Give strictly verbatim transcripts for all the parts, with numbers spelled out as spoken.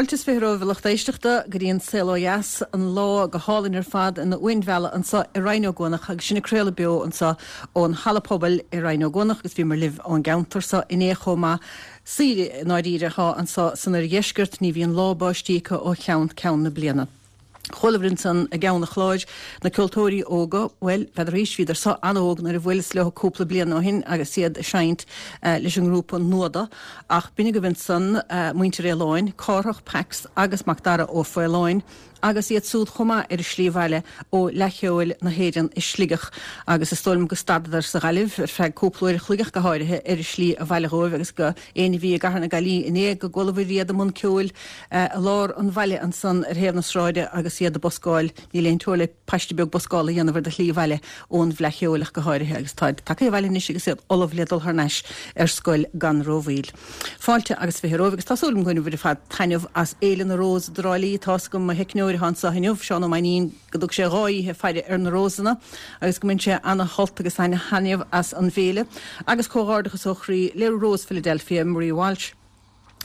Fáilte is fiche romhaibh, a lucht éisteachta, go dtí an Saol Ó Dheas, an lá go hálainn ar fad ina uain mheala anseo i Rinn Ó gCuanach agus sinn ag craoladh beo anseo ón Halla Pobail i Rinn Ó gCuanach agus bhíomar libh ón gceantar seo inné chomh maith. Saoire i ndáiríre atá anseo san oirdheisceart, ní bhíonn lá báistí acu ó cheann ceann na bliana. Chualabhair ansan i gceann an chláir, na ceoltóirí óga, bhuel, n'fheadar aois, bhíodar so an-óg nuair a bhuaileas leo cúpla bliain ó shin agus iad ag seinnt leis an ngrúpa Nuada, ach b'in agaibh ansan muintir Fhaoláin, Cárthach, Pax agus Macdara Ó Faoláin, agus iad súd chomh maith ar a slí abhaile ó Fhleadh Cheoil na hÉireann i Sligeach agus is dóigh liom go stadadar sa Ghaillimh ar feadh cúpla uair a chloig ach go háirithe ar a slí abhaile dhóibh agus go éinne a bhí i gCathair na Gaillimhe inné go gcualabhair iad i mbun ceoil i lár an bhaile ansan ar thaobh na sráide agus iad ag buscáil, níl aon teora le paiste beag buscála a dhéanamh ar do shlí abhaile ón bhFleadh Cheoil ach go háirithe agus táid tagtha abhaile anois agus iad ullamh le dul thar n-ais ar scoil gan rómhoill. Fáilte agus fiche romhaibh agus tá súil agam go mbainfidh sibh ar fad taitneamh as Fhéile na Rós i dTrá Lí. Tá's agam mo theicneoir atá anseo inniu, Seán Ó Mainnín, go dtug sé dhá oíche faire ar na rósanna agus go mbain sé ana-shult agus ana-thaitneamh as an bhféile. Agus comhghairdeachas ó chroí le Rose Philadelphia, Marie Walsh,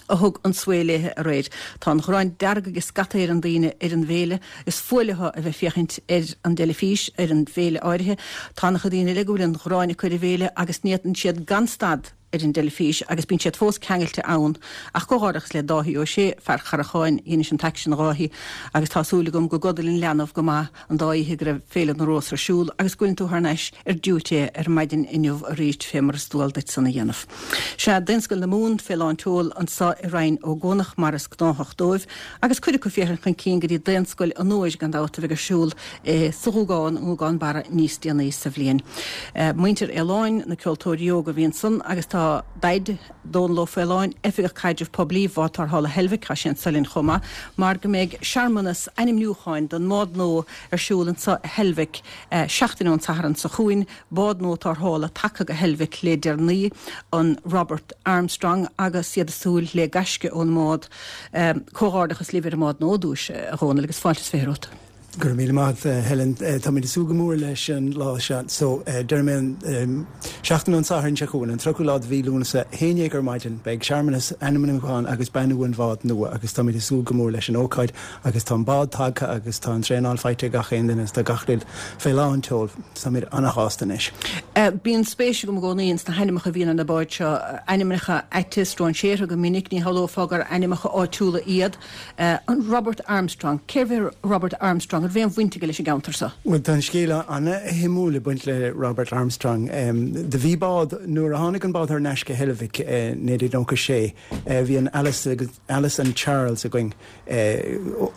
a thug an svae léithe aréir. Tá an ghráin dearg ag scata ar an daoine ar an bhféile. Is fuath leo a bheith ag féachaint ar an dteilifís ar an bhféile áirithe. Tá ana-chuid daoine eile go bhfuil an ghráin acu ar an bhféile agus ní fhéachann siad gan stad ar an dteilifís agus bíonn siad fós ceangailte ann. Ach comhghairdeachas le Dáithí Ó Sé, fear Charracháin, dheinis an t-aicsean a Dháithí agus tá súil agam go gcodail an leanbh go maith an dá oíche go raibh Féile na Rós ar siúl agus go bhfuileann tú thar n-ais ar diúité ar maidin inniu arís fé mar is dual duit san a dhéanamh. Sea, Daonscoil na Mumhan fé lán tseoil anso i Rinn Ó gCuanach mar is gnáthach dóibh agus cuid acu féachaint chun cinn go dtí Daonscoil an Fhómhair gan dabht a bheidh ar siúl sa Ghúgán, i nGúgán Barra níos déanaí sa bhliain. Muintir Fhaoláin, na ceoltóirí óga a bhí ansan agus tá Daid, Dónal Ó Faoláin, Oifigeach Caidrimh Poiblí Bhád Tarrthála Heilbhic, tá sé anso linn chomh maith, mar go mbeidh searmanas ainmniúcháin don mbád nua ar siúl anso i Heilbhic seachtain ón Satharn seo chugainn, bád nua tarrthála tagtha go Heilbhic le deireanaí, an Robert Armstrong, agus iad ag súil le gaisce ón mbád. Comhghairdeachas libh ar an mbád nua, ar dtús, a Dhónaill, agus fáilte is fiche romhat. Go raibh míle maith agat, Helen. Táimid ag súil go mór leis an lá seo. So, deir mé an seachtain ón Satharn seo chugainn, an tríochadú lá de mhí Lúnasa, a haon déag ar maidin, beidh searmanas ainmniúcháin agus beannú an bhád nua agus táimid ag súil go mór leis an ócáid agus tá an bád tagtha agus tá an traenáil faighte ag gach aon duine agus tá gach rud fé lán tseoil. Táimid ana-shásta anois. Bíonn spéis agam i gcónaí ins na hainmneacha a bhíonn ar na báid seo, ainmneacha aite, stróinséartha go minic, ní shamhlófá gur ainmneacha áitiúla iad. An Robert Armstrong, cérbh é Robert Armstrong? An raibh aon bhaint aige leis an gceantar seo? Bhuel, tá an scéal ana-shuimiúil ag baint le Robert Armstrong. Do bhí bád, nuair a tháinig an bád thar n-ais go Heilbhic i naoi déag nócha sé, bhí an Alice agus, Alice and Charles againn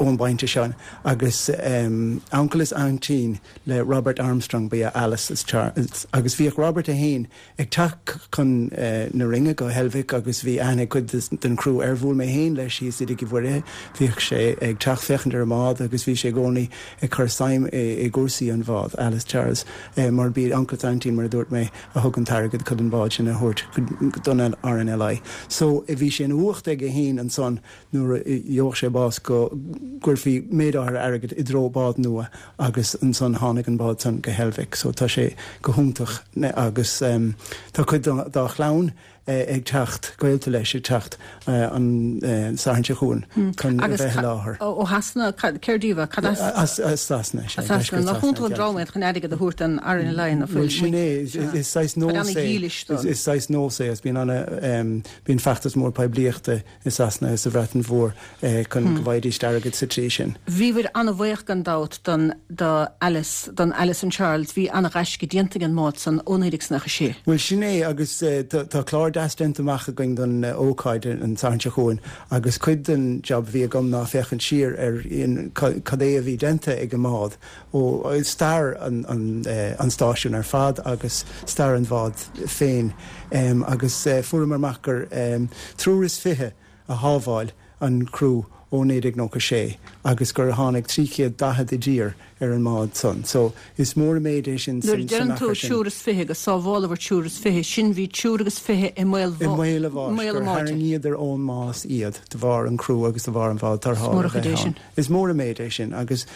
ón bpointe seo agus uncail is aintín le Robert Armstrong ba ea Alice is Charles agus bhíodh Robert é féin ag teacht chun na Rinne go Heilbhic agus bhí aithne ag cuid den chriú air. Bhuail mé féin leis thíos i dTigh Uí Mhuirithe. Bhíodh sé ag teacht féachaint ar an mbád agus bhí sé i gcónaí ag cur suim i gcúrsaí an bhád, Alice Charles, mar b'iad uncail is aintín, mar a dúirt mé, a thug an t-airgead chun an bád sin a thabhairt don RNLI. So bhí sé ina uacht aige féin ansan nuair a gheobhadh sé bás go gcuirfí méid áirithe airgid i dtreo bád nua agus ansan tháinig an bád san go Heilbhic so tá sé go hiontach agus tá cuid dá chlann ag teacht, gaolta leis ag teacht an Satharn seo chugainn chun a bheith i láthair. Ó Shasana, céard díobh, cad as? As Sasana, sea. As Sasana. Nach iontach an dream iad chun airgead a thabhairt don RNLI ná fuil? Bhuel sin é, is saghas nós é, is saghas nós é agus bíonn ana, bíonn feachtas mór poiblíochta i Sasana is sa Bhreatain Mhór chun go bhfaighidís airgead sa tslí sin. Bhíobhair an-bhuíoch gan dabht don do Alice, don Alice and Charles, bhí an-ghaisce déanta ag an mbád san ó naoi déag is nócha sé. Bhuel sin é agus tá clár deas déanta amach againn don ócáid an Satharn seo chugainn agus cuid den job a bhí agam ná féachaint siar ar cad é a bhí déanta ag an mbád ó stair an stáisiúin ar fad agus stair an bháid féin agus fuaireamar amach gur triúr is fiche a shábháil an criú ó naoi déag nócha sé agus gur tháinig trí chéad daichead i dtír ar an mbád san. So is mór an méid é sin Nuair a san deireann tú achar sin. triúr is fiche go sábháladar triúr is fiche, sin bhí triúr agus fiche i mbaol I mbaol a bháis, mbaol a gur mbáite. tharraingíodar ón mbás iad de bharr an criú agus de bharr an bhád Is mór tarrthála an a chuid bheith é sin. ann. Is mór an méid é sin agus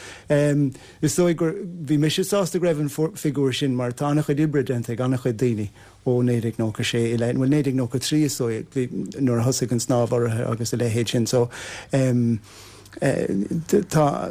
is dóigh gur, bhí mise sásta go raibh an figiúr sin mar tá an-chuid oibre déanta ag an-chuid daoine ó naoi déag nócha sé i leith, bhuel naoi déag nócha trí is dóigh, bhí nuair a thosaigh an snámh urraithe agus a leithéid sin. So um, eh, tá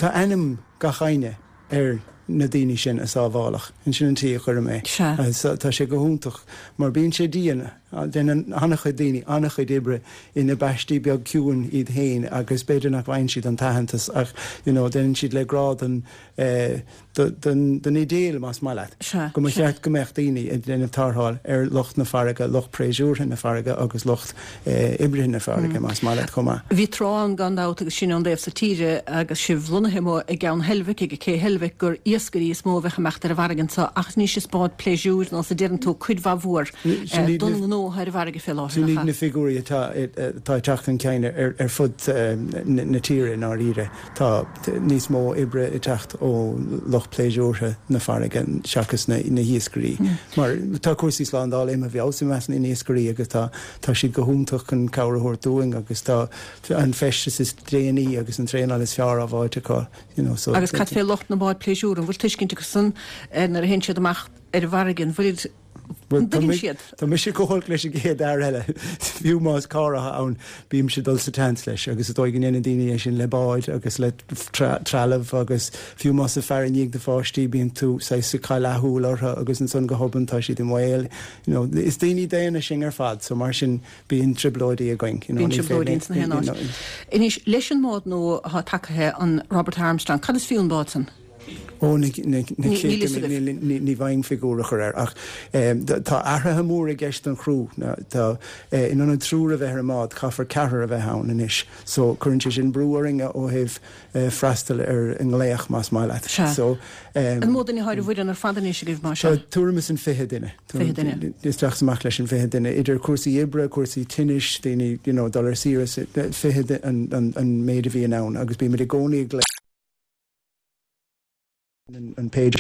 tá ainm gach éinne ar na daoine sin a sábháladh. Sin an tslí a chuirim é. Sea. Tá sé go hiontach mar bíonn sé dian, déanann an-chuid daoine an-chuid oibre ina bpaistí beag ciúin iad féin agus b'fhéidir nach bhfaigheann siad an t-aitheantas ach you know déanann siad le grá don eh, don don idéal más maith leat. Sea. Go mba cheart go mbeadh daoine ag déanamh tarrtháil ar lucht na farraige, lucht pléisiúrtha na farraige agus lucht oibrithe na farraige, más maith leat, chomh maith. Bhí tráth ann gan dabht agus sinn ón dtaobh so tíre agus sibh lonnaithe amuigh i gCeann Heilbhic, ag Cé Heilbhic, gur iascairí is mó a bheadh ag imeacht ar an bhfarraige anseo ach anois is báid pléisiúir nós a deireann tú cuid mhaith mhór don ngnó atá ar an bhfarraige fé láthair, Sin nach iad ea? na figiúirí atá atá ag teacht chun cinn ar fud na tíre i ndáiríre. Tá níos mó oibre ag teacht ó lucht pléisiúrtha na farraige seachas na hiascairí. Mar tá cúrsaí slándála imithe i bhfeabhas i measc na n-iascairí agus tá tá siad go hiontach chun cabhair a thabhairt dúinn agus tá an feisteas is déanaí agus an traenáil is fearr á bhfáilt acu you know so. Agus cad fé lucht na mbád pléisiúir, an bhfuil tuiscint acusan nuair a théann siad amach ar an bhfarraige, an bhfuil Bhuel, An dtuigeann siad? Tá mise chomh holc leis an gcéad fhear eile. Fiú más carr atá ann, bímse ag dul sa tseans leis agus is dóigh go ndéanann daoine é sin le báid agus le trealamh agus fiú más ag faire i ndiaidh do pháistí, bíonn tú saghas ag cailleadh leathshúil orthu agus ansan go hobann tá siad i mbaol. You know, is daoine daonna sinn ar fad so mar sin bíonn trioblóidí againn. You know, Bíonn trioblóidí ins na haon áit. Anois, leis an mbád nua atá tagaithe, an Robert Armstrong, cad is fiú an bád san? Ó, na céadta míle, ní bhfaighinn figiúr a chur air, ach tá athruithe móra i gceist don chriú. Tá, in ionad triúr a bheith ar an mbád, caithfear ceathrar a bheith ann anois. So, cuireann sé sin brú orainn ó thaobh freastal ar an nglaoch, más maith leat. Sea. So, An mó duine atá ar an bhfoireann ar fad anois agaibh, mar Tá sin? tuairim is an fiche duine. Fiche duine. Isteach is amach leis an bhfiche duine, idir cúrsaí oibre, cúrsaí tinnis, daoine, you know, dul ar saoire, fiche an méid a bhíonn ann agus bímid i gcónaí ag glaoch. an page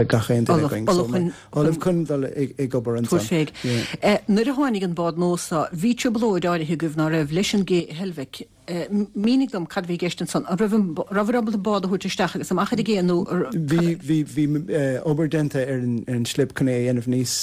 gach aon duine againn. Ullamh chun dul ag obair ansan. Tabhair féig. Nuair a tháinig an bád nua so, bhí trioblóid áirithe agaibh ná raibh leis an gcé i Heilbhic. Mínigh dom cad a bhí i gceist ansan. An raibh an rabhabhair ábalta bád a thabhairt isteach agus amach ar an gcé nó Bhí bhí bhí obair déanta ar an slip chun é a dhéanamh níos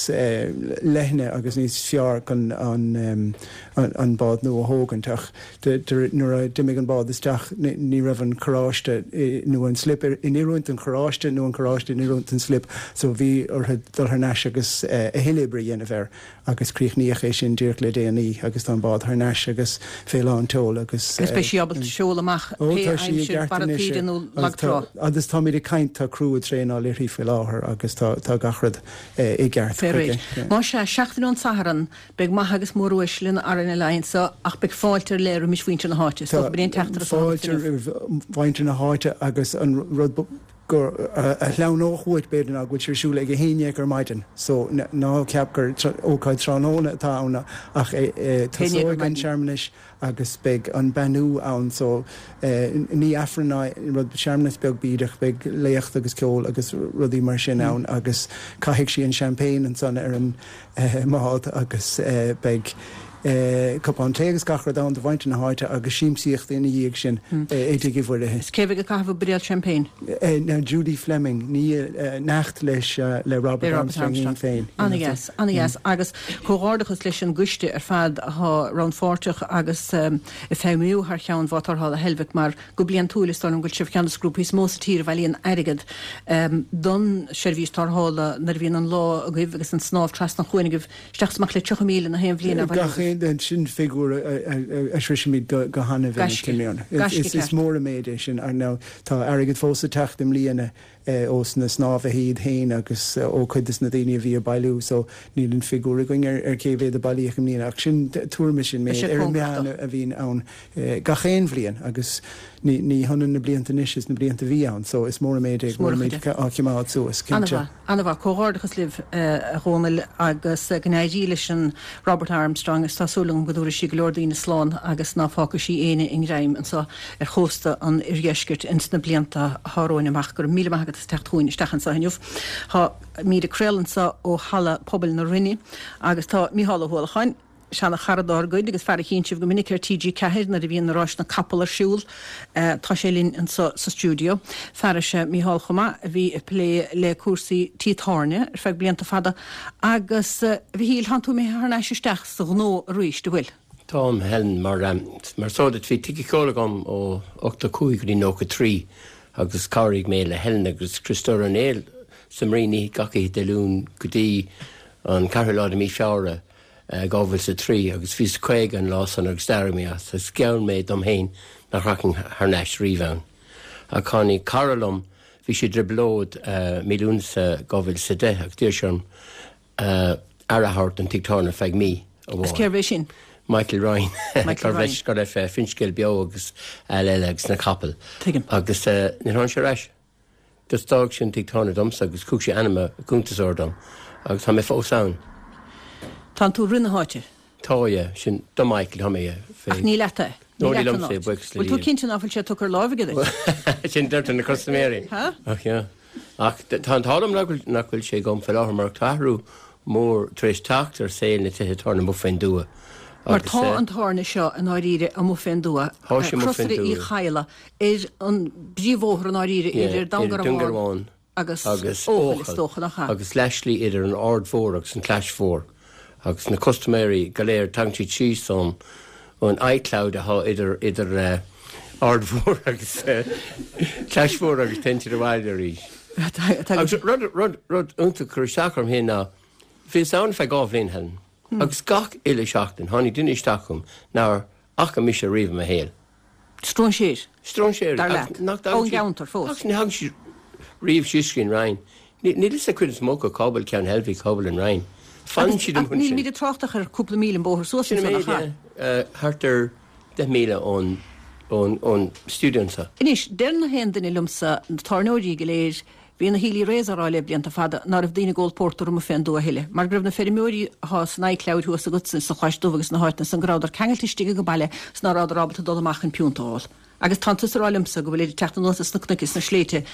leithne agus níos fearr chun an an bád nua a thógaint ach nuair a d'imigh an bád isteach ní raibh an carráiste nó an slip in oiriúint don charráiste nó an carráiste in oiriúint don slip so bhí orthu dul thar n-ais agus a thuilleadh oibre a dhéanamh air agus críochnaíodh é sin díreach le déanaí agus tá an bád thar n-ais agus fé lán tseoil agus Agus beidh sí ábalta seoladh amach pé aimsir, barra taoide nó lag trá. Agus táimid ag caint, tá criú ag traenáil uirthi faoi láthair agus tá gach rud i gceart Fé chuige. réir. Más ea, seachtain ón Satharn, Beidh maithe agus móruaisle na RNLI anseo ach beidh fáilte ar leith roimis mhuintir na háite. Is dócha gurb é an teachtaireacht atá agat Fáilte inniu. roimh mhuintir na háite agus an rud gur a shleamhnódh uait b'fhéidir ná go bhfuil sé ar siúl ag a haon dhéag ar maidin so ná ceap gur ócáid tráthnóna atá ann ach tosóidh an searmanas agus beidh an beannú ann so ní Aifreann ná rud, searmanas beag bídeach, beidh léacht agus ceol agus rudaí mar sin ann agus caithfidh sí an champagne ansan ar an mbád agus beidh cupán tae agus gach rud ann do mhuintir na háite agus siamsaíocht ina dhiaidh sin i dTigh Uí Mhuirithe. Is cé a bheidh ag caitheamh an buidéal champagne? Now Judy Fleming, ní neacht leis le Robert Armstrong féin. Ana-dheas, ana-dheas. Agus comhghairdeachas leis an gcoiste ar fad atá rannpháirteach agus ag feidhmiú thar cheann Bhád Tarrthála Heilbhic mar go bliantúil is dóigh liom go bhfuil sibh ceann de na grúpaí is mó sa tír a bhailíonn airgead don seirbhís tarrthála nuair a bhíonn an lá agaibh agus an snámh trasna an chuain agaibh isteach is amach le tríocha míle na haon bhliain á bhailiú Gach agaibh. aon, sin figiúr a shroisimid go han-mhinic i mbliana. Gaisce Is ceart. mór an méid é sin. Now tá airgead fós ag teacht i mbliana ós na snámhaithe iad féin agus ó chuid des na daoine a bhí ag bailiú so níl an figiúr againn ar cé mhéad a bailíodh i mbliana ach sin tuairim is sin Beidh méid sé ar an cóngarach meán dó. a bhíonn ann gach aon bhliain agus ní ní hionann na blianta anois is na blianta a bhí ann so is mór an méid é Is go mór an bhfuilimid chuid é. á choimeád suas, cinnte. An-mhaith, an-mhaith. Comhghairdeachas libh, a Dhónaill, agus go n-éirí leis an Robert Armstrong is tá súil agam go dtabharfaidh sí go leor daoine slán agus ná fágfaidh sí éinne i ngreim anseo ar chósta an oirdheiscirt ins na blianta atá romhainn amach. Go raibh míle maith agat as teacht chugainn isteach anseo inniu. Táimid ag craoladh anseo ó Halla Pobail na Rinne agus tá Mícheál Ó hUallacháin, Seana-chara dár gcuid agus fear a chíonn sibh go minic ar T G ceathair nuair a bhíonn na ráis na capall ar siúl. Tá sé linn anseo sa stiúideo. Fear is ea Mícheál chomh maith a bhí ag plé le cúrsaí tí tábhairne ar feadh blianta fada agus, a Mhichíl, tánn tú imithe thar n-ais isteach sa ghnó arís, an bhfuil? Táim, Helen, mar mar is eol duit bhí tigh ceoil agam ó ochtó cúig go dtí nócha trí agus chabhraigh mé le Helen agus Criostóir Ó Néill sa Marine oíche gach oíche Dé Luain go dtí an ceathrú lá de mí Feabhra dhá mhíle is a trí agus bhíos caoga an lá san agus d'éirigh mé as agus gheall mé dom féin nach rachainn thar n-ais riamh ann. Ach tháinig cara liom, bhí sé i dtrioblóid mí Lúnasa dhá mhíle is a deich agus d'iarr sé orm aire a thabhairt don tigh tábhairne ar feadh mí Is amháin. cérbh é sin? Michael Ryan. Michael Gurbh Ryan. leis go raibh Finscéal Beo agus eile eile agus na capaill. Tuigim. Agus níor tháinig sé ar ais. Just d'fhág sé an tigh tábhairne domsa agus thug sé ainm a chuntasóir dom agus tá mé fós ann. Tánn tú roimh na háite? Tá, yeah. Sin do Michael, tá mé, yeah. Fé. Ach ní leat é? No, Ní ní leat an liomsa é, áit. buíochas le Bhfuil tú Dia. cinnte ná fuil sé tugtha ar láimh aige duit? Sin deirtear na custaiméirí. Ha? Ach, yeah. Ach tá an t-ádh liom nach bhfuil, nach bhfuil sé agam fé láthair mar tá athrú mór tar éis teacht ar saol na tithe tábhairne amuigh fén dtuath. Mar Agus, tá eh, an tábhairne seo i ndáiríre amuigh fén dtuath, Tá sé amuigh fén Crosaire Uí dtuath. Chadhla, ar an bpríomhbhóthar i ndáiríre Yeah, idir idir Dún Dún Garbhán Garbhán agus agus Eochaill, is Eochaill dócha, nach ea? agus leathshlí idir an Aird Mhór agus an Chlais Mhór. Agus na custaiméirí go léir tagann siad síos ón, ón iCloud atá idir, idir, eh, Aird Mhór agus, eh, Clais Mhór agus téann siad abhaile arís. Tá, tá, Agus rud, rud, rud iontach a chuir isteach orm féin ná, bhíos ann feadh dhá bhliain, Helen, agus gach uile seachtain tháinig duine isteach chugam nár fhaca mise riamh i mo shaol. Stróinséir. Stróinséir. Dar Agus leat. nach dtagann Ón siad- gceantar fós. Agus ní thagann siad riamh síos go dtí an Rinn. Ní, níl fhios ag cuid is mó acu cá bhfuil Ceann Heilbhí, cá bhfuil an Rinn. Fanann siad Ach amuigh níl ansin. míle trácht ach ar cúpla míle an bóthar suas Sin ansan, an nach méid, ea? yeah. Eh, thart ar deich míle ón, ón, ón stiúideo anseo. Anois, deir na haon duine liomsa, na tábhairneoirí go léir, bhí na Healy-Raes á rá le blianta fada ná raibh daoine ag ól pórtar amuigh fén dtuath a thuilleadh, mar go raibh na feirmeoirí atá san iCloud thuas agatsa sa Chlais Dubh agus sna háiteanna san, go rabhadar ceangailte istigh ag an baile 's ná rabhadar ábalta dul amach chun piúnta a ól. Agus tánn tusa ag rá liomsa go bhfuil ag teacht anuas as na cnoic is na sléibhte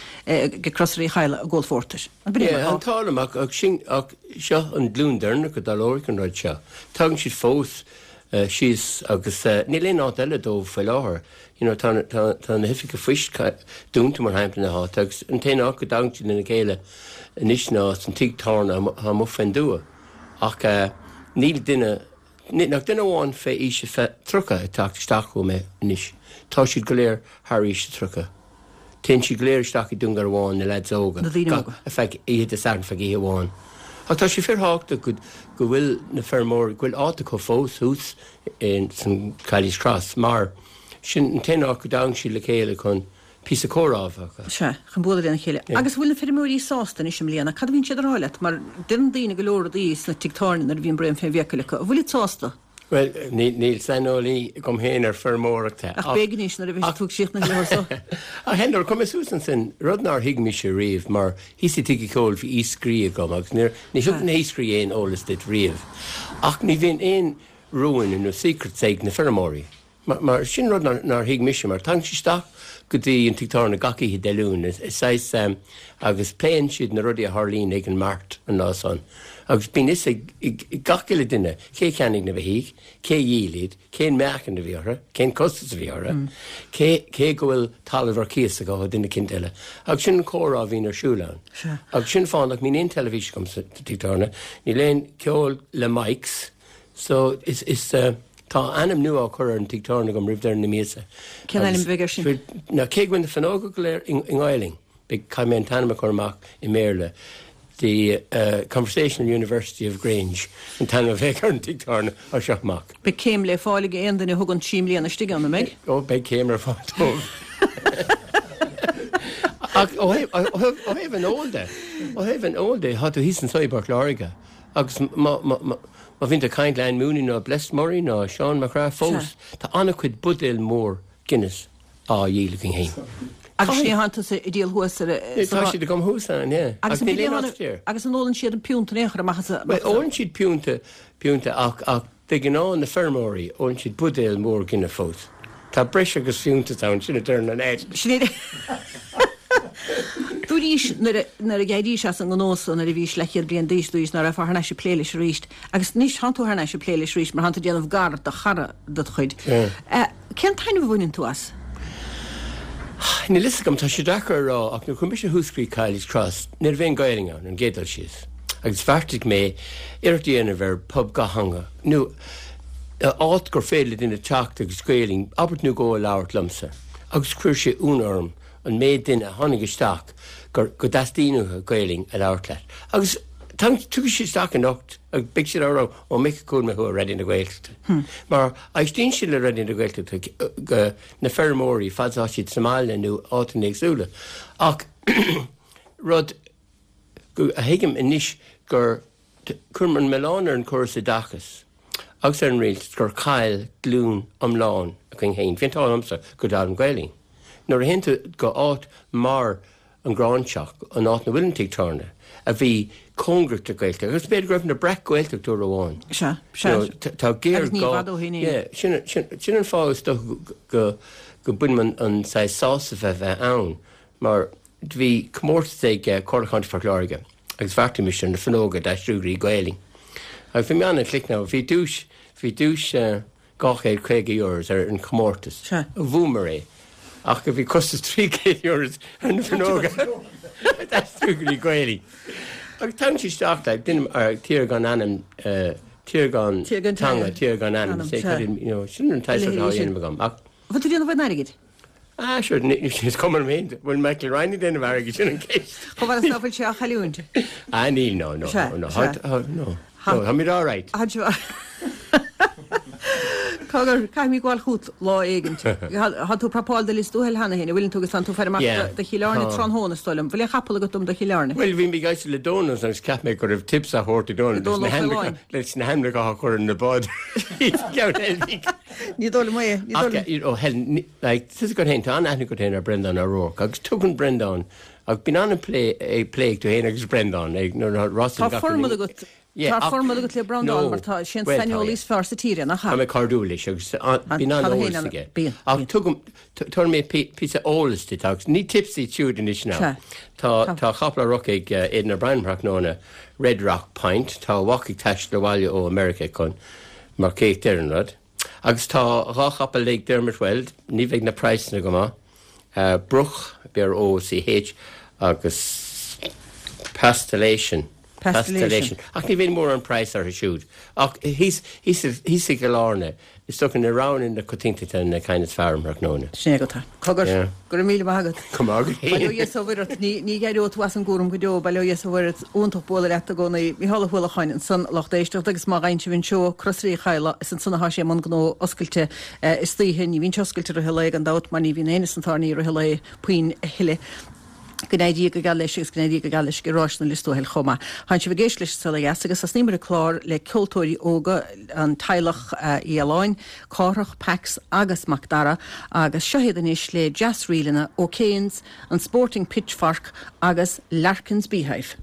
go Crosaire Uí Chadhla ag ól phórtair. An b'in é mar Yeah, atá? an t-ádh liom ach, ach sin, ach seo an glúin deireanach a dtarlóidh an rud seo. Tagann siad fós síos agus níl aon áit eile dóibh faoi láthair. You know, tá, tá, tá na hoifigí poist dúnta mar shampla na háite agus an t-aon áit go dtagann siad lena chéile anois ná san tigh tábhairne atá amuigh fén dtuath. Ach uh, níl duine, nach duine amháin fé aois a tríocha ag teacht isteach chugam anois. Tá siad go léir thar aois a tríocha. Téann siad go léir isteach i Dún Garbhán na lads óga. Na daoine Gach- óga. A feadh oíche Dé Sathairn feadh oíche amháin. Ach tá sé fíorthábhachtach go, go bhfuil na feirmeoirí, go bhfuil áit acu fós thuas in san Cayley's Cross, mar sin an t-aon áit go dtagann siad le chéile chun píosa comhrá a bheith acu. Sea, chun bualadh lena chéile. Yeah. Agus bhfuil na feirmeoirí sásta anois i mbliana? Cad a bhíonn siad a rá leat? Mar deireann daoine go leor rudaí sna tigh tábhairne nuair a bhíonn braon fé bhfiacail acu. An bhfuil siad sásta? Well, níl, níl saineolaí agam féin ar feirmeoireacht. Ach beidh anois nuair a bheidh tú ag síoch na leabhar so. Ach hen, nuair a chuaigh mé suas ansin, rud nár thuig mise riamh, mar thíos i dtigh an cheoil bhí iascairí agam, agus níor, ní thug na hiascairí aon eolas duit riamh. Ach ní bhíonn aon rúin nó secrets ag na feirmeoirí. Mar, mar sin rud nár, nár thuig mise, mar tagann siad isteach go dtí an tigh tábhairne gach oíche Dé Luain, is, is saghas, um, agus pléann siad na rudaí a tharlaíonn ag an mart an lá san. Agus bíonn fhios ag, ag, ag gach uile duine cé cheannaigh na beithígh, cé dhíol iad, cén meáchan a bhí orthu, cén costas a bhí orthu, Mm. cé, cé go bhfuil talamh ar cíos acu ó duine eicínt eile. Agus sin an comhrá a bhíonn ar siúl ann. Sea. Agus sin fáth nach mbíonn aon teilifís agam sa tigh tábhairne, níl aon ceol le mics, so is, is, uh, tá ainm nua á chur ar an tigh tábhairne agam roimh deireadh na míosa. Cén ainm Agus a bheidh air sin? bhfuil, ná, cé go bhfuil na fuinneoga go léir i, i nGaelainn, beidh caithfidh mé an t-ainm a chur amach i mBéarla. The, uh, Conversational University of Grange, an t-ainm a bheidh ar an tigh tábhairne as seo amach. Beidh céim le fáil ag aon duine a thugann trí mbliana istigh ann, an mbeidh? Ó, beidh céim ar fáil dóibh. Ach ó thaobh, ó thaobh, ó thaobh an óil de, ó thaobh an óil de, tá tú thíos anso i bPort Láirge. Agus má, má, má, má bhíonn tú ag caint le Anne Mooney nó Blessed Murray nó Seán Mac Craith fós, Sea. tá an-chuid buidéal mór Guinness á dhíol againn féin. Agus sin atá tusa ag díol thuas ar a- Tá sa siad agam thuas ann, yeah. Agus Agus an níl aon bhfuil áit air. Agus an ólann siad an piúnta in aon chor amach as a- Well, ólann siad piúnta, piúnta ach, ach de ghnáth na feirmeoirí, ólann siad buidéal mór Guinness fós. Tá breis agus fiúntas ann, sin a deir an Ed. Sin é. Dúraís nuair a d'éirís as an ngnó so nuair a bhís leathchéad bliain d'aois dúraís ná raibh thar n-ais ag plé leis arís agus anois tánn tú thar n-ais ag plé leis arís mar tánn tú ag déanamh gar do chara de do chuid. Cén taitneamh a bhaineann tú as? Níl a fhios agam, tá sé deacair a rá ach nuair a chuaigh mise thuas go dtí Kiely's Cross ní raibh aon Gaelainn ann an gcéad dul síos agus bheartaigh mé iarracht a dhéanamh ar pub dhátheangach nó áit gur féidir le duine teacht agus Gaelainn abairt nó dhó a labhairt liomsa agus chuir sé ionadh orm an méid duine a tháinig isteach gur go dteastaíonn uathu Gaelainn a labhairt leat agus tiocfaidh siad isteach anocht agus beidh siad á rá ó mic chuala mé thú ar Raidió na Gaeltachta mar éistíonn siad le Raidió na Gaeltachta go na feirmeoirí fad is atá siad sa mbaile nó áiteanna éagsúla ach rud go a thuigim anois gur cuirim an milleán ar an córas oideachais agus ar an rialtas gur chaill glúin iomlán againn féin. Bhí an t-ádh liomsa go d'fhoghlaim Gaelainn. Nuair a théann tú go áit mar an Ghráinseach, an áit 'na bhfuil an tigh tábhairne, a bhí cóngarach do Ghaeltacht, agus b'fhéidir go raibh na Breac-Ghaeltacht uair amháin. Sea, sea. Tá géar Agus ní i bhfad ó shin é. Yeah, sin, sin, sin an fáth is dócha go, go mbainim an, an saghas sásamh a bheith ann, mar bhí comórtas ag Comhairle Chontae Phort Láirge agus bheartaigh mise ar na fuinneoga d'aistriú go dtí Gaelainn. Agus bhí mé an-chliceanna, bhí duais, bhí duais dhá chéad caoga euros ar an chomórtas. Sea. Bhuamar é. Ach bhí costas trí chéad euros ar na fuinneoga d'aistriú go dtí Gaelainn. Agus tagann sé isteach le duine ar tír gan ainm, tír gan teanga, tír gan ainm, you know, sin an t-saghas atá á dhéanamh agam. Ach. Bhfuil tú ag déanamh aon airgid? Ah, sure, is cuma liom féin, bhfuil Michael Ryan ag déanamh airgid, sin an ceist. Chomh fada is ná fuil sé á chailliúint. Ah, níl, no, no, no, no, no, no, táimid all right. Cogar, caithfidh mé gabháil chugat lá éigin. Tá tú ag prapáil do Lios Tuathail cheana féin, an bhfuileann tú agus tánn tú ag faire amach do Chill Airne tráthnóna, is dóigh liom. Bhfuil aon chapall agat dom do Chill Airne? Bhuel, bhí mé ag éisteacht le Dónal agus cheap mé go raibh tips á thabhairt ag Dónal leis na hainmneacha a chur ar na báid. Ní dóigh liom é, ní dóigh liom. Ó, Helen, like, tá a fhios agat féin, tá an-aithne agat féin ar Breandán O'Rourke agus tugann Breandán, agus bíonn an-phlé ag plé ag tú féin agus Breandán ag nuair a Tá formad agat Tá formad agat le Breandán mar tá sé an saineolaí is fearr sa tír é, nach ea? Tá mé cairdiúil leis agus bíonn an-eolas aige. Ach tugaim, tabharfaidh mé píosa eolais duit agus ní tips iad siúd anois now. Tá tá capall á rith ag Aidan O'Brien tráthnóna, Red Rock Point, tá a mhac ag taisteal abhaile ó America chun marcaíocht ar an rud. Agus tá dhá chapall ag Dermot Weld, ní bheidh na praghsanna go maith, Broch, B-R-O-C-H, agus Pastillation. Pastillation. Ach ní bheidh mórán praghas orthu siúd. Ach thíos, thíos, thíos i gCill Airne, is dócha na roghanna na coitiantachta na cinn is fearr um thráthnóna. Sin é agat. Cogar, Yeah. go raibh míle maith agat. Go maith agat Bail ó féin. Dhia is ó Mhuire ort. Ní, ní éireoidh tú as an gcúram go deo, bail ó Dhia is ó Mhuire ort. Iontach bualadh leat i gcónaí. Mícheál Ó hUallacháin ansan, lucht éisteachta agus má fhaigheann sibh an seó, Crosaire Uí Chadhla, is ansan atá sé i mbun gnó oscailte istoíche. Ní bhíonn sé oscailte i rith an lae gan dabht mar ní bhíonn éinne sna tábhairní i rith an lae puinn a thuilleadh. Go n-éirí go geal leis agus go n-éirí go geal leis i ráis na Lios Tuathail chomh maith. Tánn sibh ag éisteacht leis an Saol Ó Dheas agus thosnaíomar an clár le ceoltóirí óga an teaghlach Uí Fhaoláin, Cárthach, Pax agus Mac Dara agus seo iad anois le deas-ríleanna O'Kane's, an Sporting Pitchfork agus Larkin's Beehive.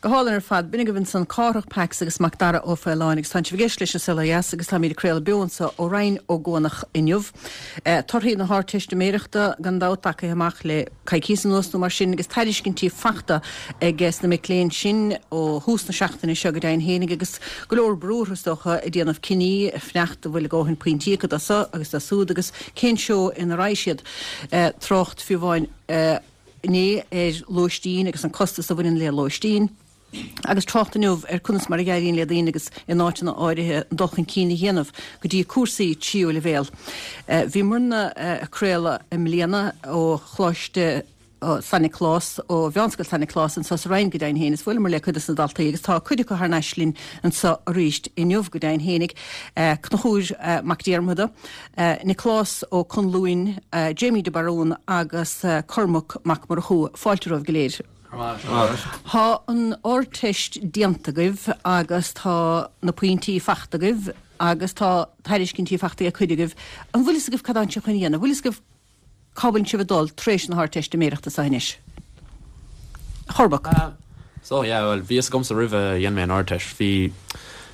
Go hálainn ar fad, b'in agaibh ansan Cárthach Pax agus Macdara Ó Faoláin agus tá sibh ag éisteacht leis an Saol Ó Dheas agus táimid ag craoladh beo anseo ó Rinn Ó gCuanach inniu. Torthaí na hArdteistiméireachta gan dabht tagtha amach le coicís anuas nó mar sin agus tairiscintí fachta ag na mic léinn sin ó thús na seachtaine seo go deimhin fhéinig agus go leor brú orthu is dócha ag déanamh cinní fanacht an bhfuil a ndóthain pointí acu do seo agus do súd agus cén seó ina raghaidh siad. Trácht fiú amháin inné ar lóistín agus an costas a bhaineann le lóistín. Agus trácht inniu ar conas mar a éiríonn le daoine agus in áiteanna áirithe dul chun cinn a dhéanamh go dtí cúrsaí tríú leibhéal. Bhí muidne ag craoladh i mbliana ó Choláiste San Nioclás, ó Mheánscoil San Nioclás anseo sa Rinn go deimhin féin is bhuaileamar le cuid de na daltaí agus tá cuid acu thar n-ais linn anseo arís inniu go deimhin fhéinig, Conchúr Mac Diarmada, Nioclás Ó Conluain, Jamie de Barún agus Cormac Mac Murchú. Fáilte romhaibh go léir. Tá an Ardteist déanta agaibh agus tá na pointí fachta agaibh agus tá tairiscintí fachta ag cuid agaibh. An bhfuil fhios agaibh cad atánn sibh chun a dhéanamh? Bhfuil fhios agaibh cá bhfuil sibh ag dul tar éis na hArdteistiméireachta seo anois? A Chormaic. So yeah, well bhí fhios agamsa roimh a dhein mé an Ardteist. Bhí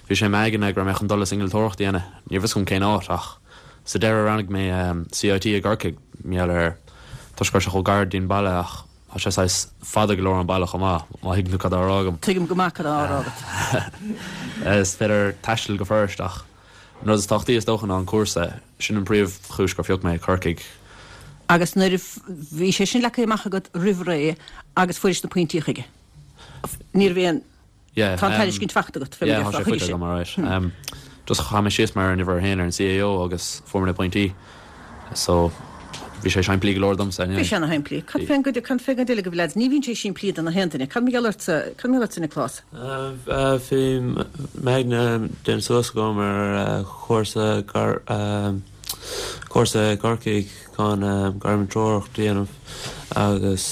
bhí sé i m'aigne go raibh mé chun dul is innealtóireacht a dhéanamh. Ní raibh fhios agam cén áit ach sa deireadh roghnaigh mé C I T i gCorcaigh, mar gheall ar toisc go raibh sé chomh gar don bhaile ach tá sé saghas fada go leor ón baile chomh maith, má thuigeann tú cad á rá agam. Tuigim go maith cad á rá agat. Is féidir taisteal go furast ach an rud is tábhachtaí is dócha ná an cúrsa, sin an príomhchúis gur phioc mé Corcaigh. Agus nuair a bhí sé sin leagtha amach agat roimh ré agus fuairis na pointí chuige, ní raibh aon Yeah, Tá an um, tairiscint fachta agat, Yeah, tá sé faighte agam, alright. Um, just chaith mé síos mar an uimhir a haon ar an C A O agus fuair mé na pointí. So bhí sé simplí go leor domsa. Bhí sé ana-shimplí. Cad fén gcuid cad fén gcuid eile agaibh lads, ní bhíonn sé simplí do na haon duine. Cad mar gheall ortsa, cad mar gheall ortsa Nioclás? Bhí m'aigne déanta suas agam ar chúrsa gar cúrsa i gCorcaigh chun gairmúinteoireacht a dhéanamh agus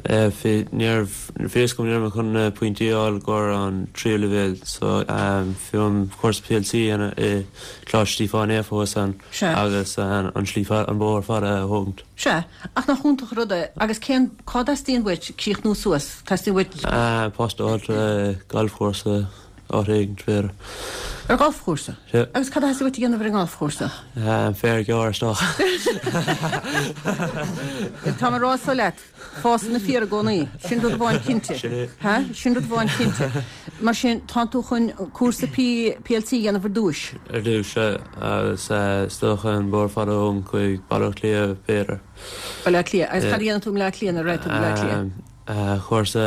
bhí ní raibh bhí fhios agam ní raibh mé chun na pointí a fháil go an tríú leibhéal so bhí an cúrsa P L C a dhéanamh i Coláiste Stíofáin Naofa thuas ann Sea. Agus an slí an bóthar fada a thógaint. Sea, ach nach iontach an rud é, agus cén cá dteastaíonn uait críochnú suas? Teastaíonn uait Post a fháil galfchúrsa áit éigin b'fhéidir. Ar ghalfchúrsa? Sea. Agus cad a theastaíonn uait a dhéanamh ar an ngalfchúrsa? Féar a ghearradh isteach. Tá mé ag rá so leat, fásann na féar i gcónaí. Sin rud amháin cinnte. Sin é. Ha? Sin rud amháin cinnte. Mar sin, tá tú chun cúrsa P PLC a dhéanamh ar dtús. Ar dtús agus is dócha an bóthar fada ón chuig Baile Átha Cliath b'fhéidir. Baile Átha Cliath. Agus cad a dhéanann tú i mBaile Átha Cliath nuair a raghaidh tú go Baile Átha Cliath? Cúrsa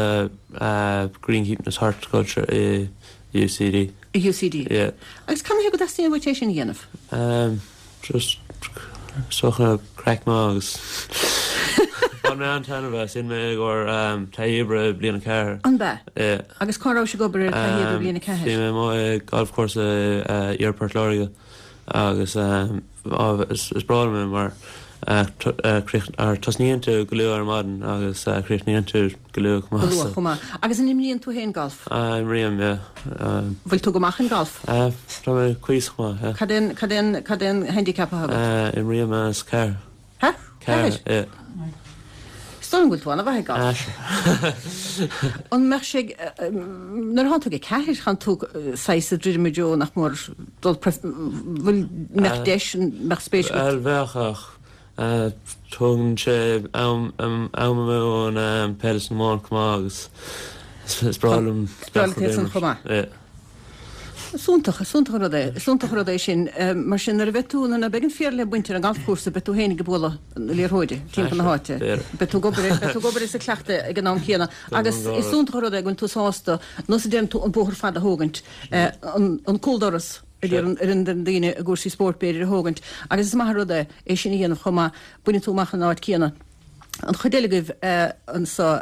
Greenkeeping is Horticulture i U C D. I U C D. Yeah. Agus cad chuige go dteastaíonn uait é sin a dhéanamh? Um, just socha craic maith agus bhain mé an-taitneamh as sin mé i gcomhair um, taithí oibre bliain a ceathair. An b'ea? Yeah. Agus cá raibh sibh ag obair ar taithí oibre bliain a Bhí ceathair? mé amuigh i galfchúrsa uh, Port Láirge agus um, á, is, is breá liom é mar uh, t- uh, críoch- ar tosnaíonn tú go luath ar maidin agus uh, críochnaíonn tú go luath Go chomh maith. luath chomh maith. Agus an imríonn tú féin golf? Uh, Imrím, yeah. Um, Bhfuil tú go maith in golf? uh, Tá mé cuíosach maith, yeah. Cad é an- cad é an- cad é an handicap atá agat? Uh, Imrím as ceathair. Ha? Ceathair, yeah. Is dóigh liom go bhfuil tú an-mhaith ag golf. An mbeadh sé nuair atá tú ag ceathair chan tú saghas ag druidim i dtreo nach mór dul bhfuil mbeadh deis mbeadh spéis agat? Bhuel bheadh ach tógann sé am am amú ón peil is na iomáint chomh maith agus is is breá liom Is breá leat é san chomh maith. Yeah. Súntach, súntach rud é, súntach rud é sin, mar sin nuair a bheidh tú nuair a bheidh an féar le baint ar an galfchúrsa beidh tú féin ag bualadh na liathróide timpeall na háite. Beidh tú ag obair beidh tú ag obair is ag cleachtadh ag an am céanna agus is súntach rud é go bhfuil tú sásta nó sa déan tú an bóthar fada a thógaint an an cúldoras ar an ar an daoine i gcúrsaí spóirt b'fhéidir a thógaint agus is maith rud é é sin a dhéanamh chomh maith baineann tú amach an áit céanna. An chuid eile agaibh anseo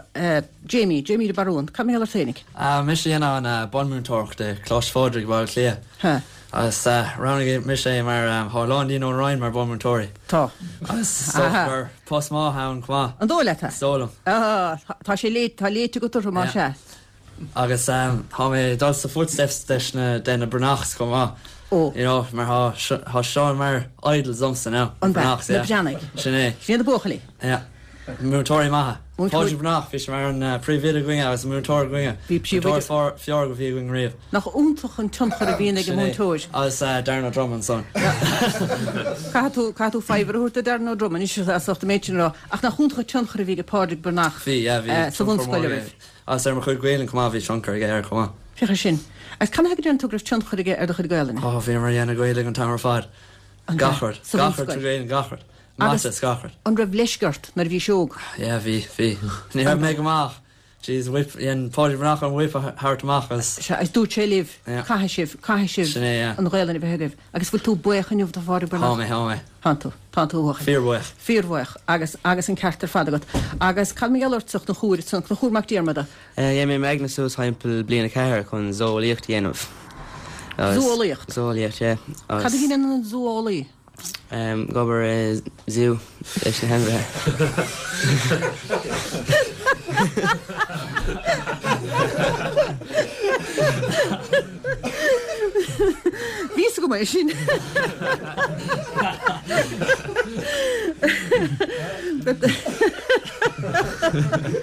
Jamie, Jamie de Barún, cad mar gheall ort féinig? Mise dhéanamh an bunmúinteoireacht i Coláiste Phádraig Baile Átha Cliath. Ha. Agus roghnaigh mise mar tá a lán daoine ón Rinn mar bunmúinteoirí. Tá. Agus gur post maith ann chomh maith. An dóigh leat? Is dóigh liom. Ah, tá sé léite tá léite go turtha mar Yeah. se. Agus um, tá mé dul sa footsteps leis na de na Breathnachs chomh maith. Ó. You know, mar tá tá seo mar idols domsa now. An b'ea, Breathnachs, na yeah. Breathnaigh. Sin é. Sin na buachaillí. Yeah. Múinteoirí maithe. Pádraig Breathnach, bhí sé mar an príomhoide againne agus an múinteoir againne. Bhí príomhoide. Múinteoir fearr a bhí againn riamh. Nach iontach an tionchar a bhíonn ag an múinteoir. Agus Darren Ó Droma ansan. Caithfidh tú, caithfidh tú faobhar a thabhairt do Darren Ó Droma anois as ucht an méid sin a rá. Ach nach iontach an tionchar a bhí ag Pádraig Breathnach Bhí, yeah, bhí sa bhunscoil oraibh. Agus ar mo chuid Gaelainn chomh maith, bhí tionchar aige air chomh maith. Féach air sin. Agus cad chuige a ndeireann tú go raibh tionchar aige ar do chuid Gaelainne? Ó, bhíomar ag déanamh Gaeilge an t-am ar fad. Gach rud. Sa Gach rud bhunscoil. tré Ghaelainn, gach rud. Agus- Mata is gach rud. An raibh leisce ort nuair a bhís óg? Yeah, bhí, bhí. Ní raibh mé go maith. Jeez, whip, dhein Pádraig Breathnach an whip a thabhairt amach agus Sea, agus dúirt sé libh, Yeah. caithfidh sibh, caithfidh sibh Sin é, yeah. an Ghaelainn a bheith agaibh. Agus bhfuil tú buíoch inniu do Phádraig Tá Breathnach? mé, tá mé. Tánn tú, tánn tú a bhuachaill. Fíorbhuíoch. Fíorbhuíoch agus agus an ceart ar fad agat. Agus cad mar gheall ortsa a Chonchúir, san Conchúr Mac Diarmada? Dhein mé m'aigne suas thimpeall bliain a ceathair chun zóolaíocht a dhéanamh. Zóolaíocht? Zóolaíocht, yeah. Cad a dhéanann an zóolaí? Ag obair i zoo leis na hainmhithe. Bhí go maith sin.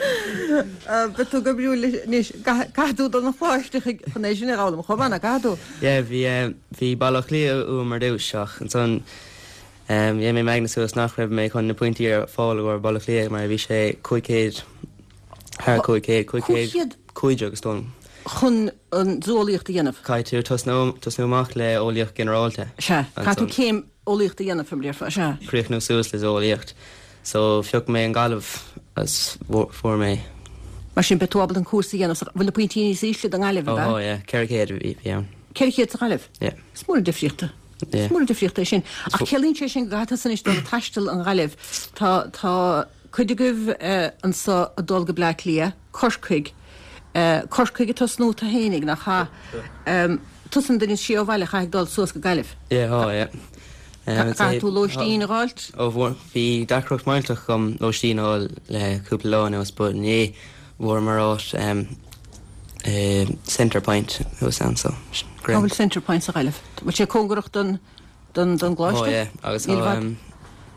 Beidh tú go breá anois caithfidh tú dul 'na choláiste chun é sin a fhoghlaim chomh maith, nach gcaithfidh tú? Yeah, bhí bhí Baile Átha Cliath uaim ar dtús ach ansan dhein mé m'aigne suas nach raibh mé chun na pointí ar fáil i gcomhair Baile Átha Cliath mar bhí sé cúig chéad thar cúig chéad, cúig chéad cúig déag is dóigh liom. Chun an zóolaíocht a dhéanamh? Caithfidh tú tosnú tosnú amach le eolaíocht ginearálta. Sea, caithfidh tú céim eolaíochta a dhéanamh fé mar a déarfá, sea. Críochnú suas le zóolaíocht. So phioc mé an Ghaillimh agus fuair mé. Mar sin beidh tú ábalta an cúrsa a dhéanamh, bhfuil na pointí níos ísle don nGaillimh, ab ea? Ó, yeah, ceithre chéad a bhí ann. Ceithre chéad sa Ghaillimh? Yeah. Is mór an difríocht. Yeah. Is mór an difríocht é sin. Ach ciallaíonn sé sin go gcaithfidh tusa anois dul ag taisteal an Ghaillimh. Tá, tá cuid agaibh anso ag dul go Bleá Cliath, Corcaigh, Corcaigh ag tosnú tú fhéinig, nach ea? Tusa an duine is sia ó bhaile a chaithfidh dul suas go Gaillimh. Yeah, oh, yeah. Caithfidh tú lóistín a dh'fháilt? Ó, bhfuair, bhí deacracht millteach agam lóistín a fháil le cúpla lá anuas, but inné bhfuaireamar áit i Centre Point thuas ann, so Cá bhfuil Centre Point sa Ghaillimh? Bhfuil sé cóngarach don, don, don gcoláiste? Oh, yeah, agus Níl tá bhfad.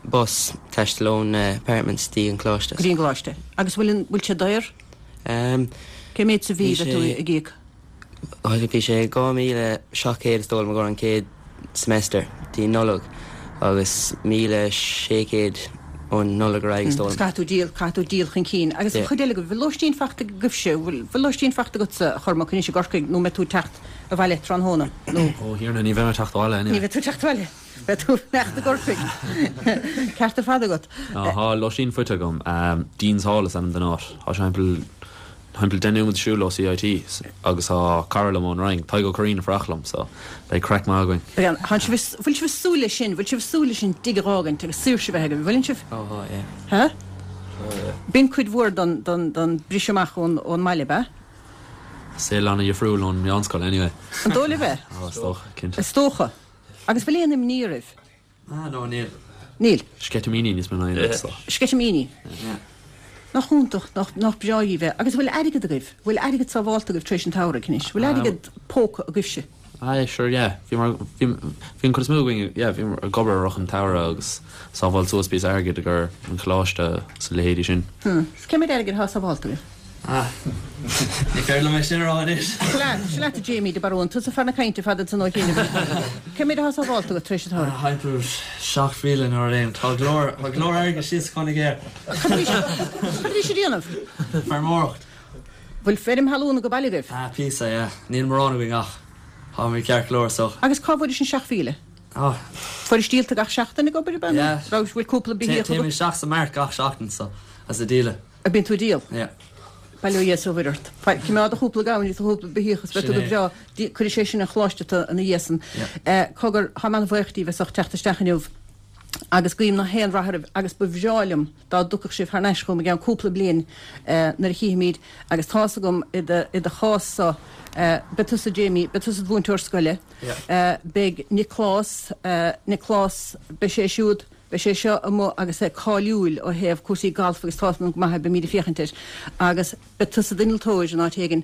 bus taisteal ón apartments dtí an coláiste. Go dtí an gcoláiste. Agus bhfuil an, bhfuil sé daor? Cé méid sa mhí Bhí a bheidh tú sé ag íoc? Bhí sé dhá míle seacht gcéad is dóigh liom i gcomhair an chéad semester dtí Nollaig agus míle sé chéad ón Nollaig ar aghaidh is dóigh liom. Caithfidh tú díol, caithfidh tú díol chun cinn. Agus an Yeah. chuid eile agaibh, bhfuil lóistín faighte agaibhse, bhfuil, bhfuil lóistín faighte agatsa a Chormac anois i gCorcaigh nó mbeidh tú ag teacht abhaile tráthnóna nó? Ó Thiarna, ní bheidh mé ag teacht abhaile anyway. Ní bheidh tú ag teacht abhaile. Beidh tú ag fanacht i gCorcaigh. Ceart ar fad agat. Ná, tá lóistín faighte agam. Dean's Hall is ainm don áit. Tá sé thimpeall, thimpeall deich nóiméad siúl ó C I T agus tá cara liom ón Roinn, Tadhg Ó Curraoin ag fanacht liom, so beidh craic maith againn. Beidh, tánn sibh, bhfuil sibh ag súil leis sin, bhfuil sibh ag súil leis an dtigh a dh'fhágaint agus saoirse a bheith agaibh, bhfuileann sibh? Ó, tá, yeah. Há? Ó, yeah. B'in cuid mhór don, don, don briseadh amach ón, ón mbaile, ab ea? Saol an-dhifriúil ón meánscoil, anyway. An dóigh libh é? Ó, is dócha, cinnte. Is dócha. Agus bhfuil aon imní oraibh? Ah, no, níl. Níl. Sceitimíní níos mó ná aon rud, so. Sceitimíní? Yeah. Nach iontach, nach, nach breá dhaoibh é. Agus bhfuil airgead agaibh? Bhfuil airgead sábhálta agaibh tar éis an tsamhraidh anois? Bhfuil airgead póca agaibhse? Aye, sure, yeah. Bhí mar, bhí, bhí an chuid is mó againn, yeah, bhí mar ag obair i rith an tsamhraidh agus sábháil suas píosa airgid i gcomhair an choláiste is a leithéidí sin. Hmm. Cé mhéad airgid atá sábhálta agaibh? Ah, ní féidir liom é sin a rá anois. Seo leat, seo leat a Jamie de Barún, tusa fear na cainte fada san ó chianaibh. Cé mhéad atá sábhálta agat tar éis an tsamhraidh? Ah, thimpeall seacht mhíle nó rud éigin. Tá go leor, tá go leor airgid síos chun air. Cad a bhí cad a bhí siad a dhéanamh? Feirmeoireacht. Bhfuil feirm thalún ag baile agaibh? Ah, píosa, yeah. Níl mórán againn ach tá mé ceart go leor so. Agus cá bhfuair sin seacht mhíle? Ah. Fuairis díolta gach seachtain ag obair, ab ea? Yeah. Raibh, bhfuil cúpla beithíoch Téim agat? isteach sa mart gach seachtain so, as a díoladh. A bíonn tú ag díol? Yeah. Bail ó Dhia is ó Mhuire ort. Fai, coimeád do chúpla gamhain is do chúpla beithíoch is beidh tú go Sin é. breá. Dí, cuirfidh sé sin an choláiste tu ina dhiaidh san. Yeah. Eh, cogar, tá mé an-bhuíoch díbh as ucht teacht isteach inniu agus guím na haon rath oraibh agus ba bhreá liom dá dtiocfadh sibh thar n-ais chugam i gceann cúpla bliain, eh, nuair a chífimid agus tá's agam i do, i do chás so, eh, beidh tusa Jamie, beidh tusa i do mhúinteoir scoile, Yeah. eh, beidh Nioclás, eh, Nioclás, beidh sé siúd, Beidh sé seo amuigh agus é cáiliúil ó thaobh cúrsaí gailf agus tá go maith, beimid ag féachaint air. Agus beidh tusa i d'innealtóir in áit éigin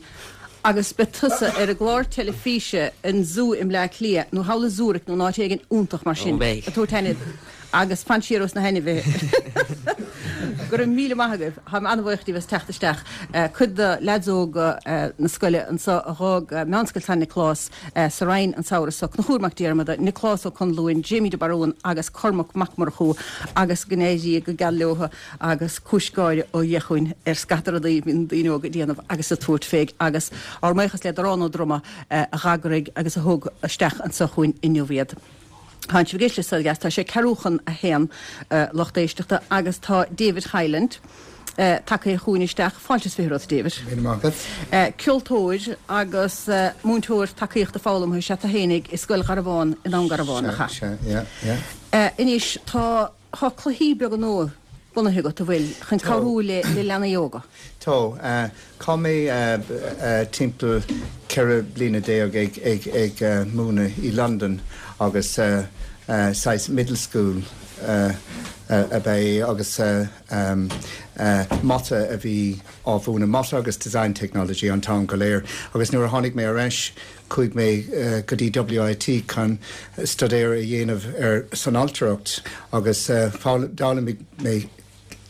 agus beidh tusa ar an gclár teilifíse an Zú i mBleá Cliath nó thall i Zurich nó in áit éigin iontach mar sin. Ó, beidh. Ag tabhairt aine Agus fan siar ós na hainmhithe. Go raibh míle maith agaibh, táim an-bhuíoch díbh as teacht isteach. Cuid de leaids óga na scoile anseo a dh'fhág Meánscoil San Nioclás sa Rinn an samhradh seo, Conchúr Mac Diarmada, Nioclás Ó Conluain, Jamie de Barún agus Cormac Mac Murchú agus go n-éirí go geal leo agus cúis gáire ó Dhia chugainn ar scata rudaí a bhíonn daoine óga ag déanamh agus ag tabhairt fé agus ár mbuíochas le Darán Ó Droma a dh'eagraigh agus a thug isteach anseo chugainn inniu iad. Tá sibh ag éisteacht le Saol Ó Dheas, tá sé ceathrú chun a haon, lucht éisteachta, agus tá David Hyland tagtha chugainn isteach. Fáilte is fiche romhat, David. Míle maith agat. Ceoltóir agus múinteoir tacaíochta foghlamtha is ea tú fhéinig i Scoil Gharbháin i nDún Garbhán, nach ea? Sea, sea, yeah, yeah. Anois, tá tá cluichí beaga nua bunaithe agat, an bhfuil, chun cabhrú le leanaí óga? Tá. Chaith mé timpeall ceithre bliana déag ag múineadh i Londain agus saghas middle school ab ea é agus mata a bhí á mhúineadh, mata agus design technology an t-am go léir. Agus nuair a tháinig mé ar ais chuaigh mé go dtí WIT chun staidéar a dhéanamh ar san ailtireacht agus d'fhoghlaim mé